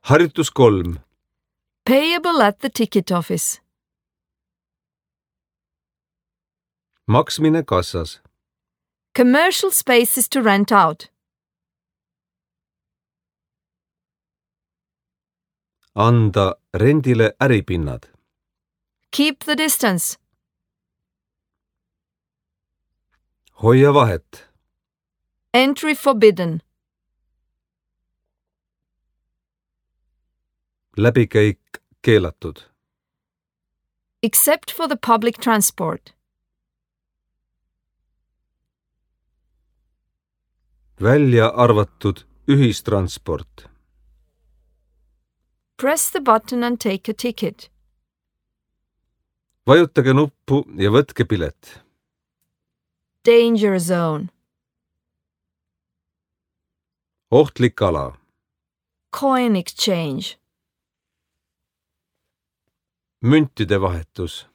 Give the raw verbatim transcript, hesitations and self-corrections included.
Harjutus kolm. Payable at the ticket office. Maksmine kassas. Commercial spaces to rent out. Anda rendile äripinnad. Keep the distance. Hoia vahet. Entry forbidden. Läbikäik keelatud. Except for the public transport. Välja arvatud ühistransport. Press the button and take a ticket. Vajutage nuppu ja võtke pilet. Danger zone. Ohtlik ala. Coin exchange. Müntide vahetus.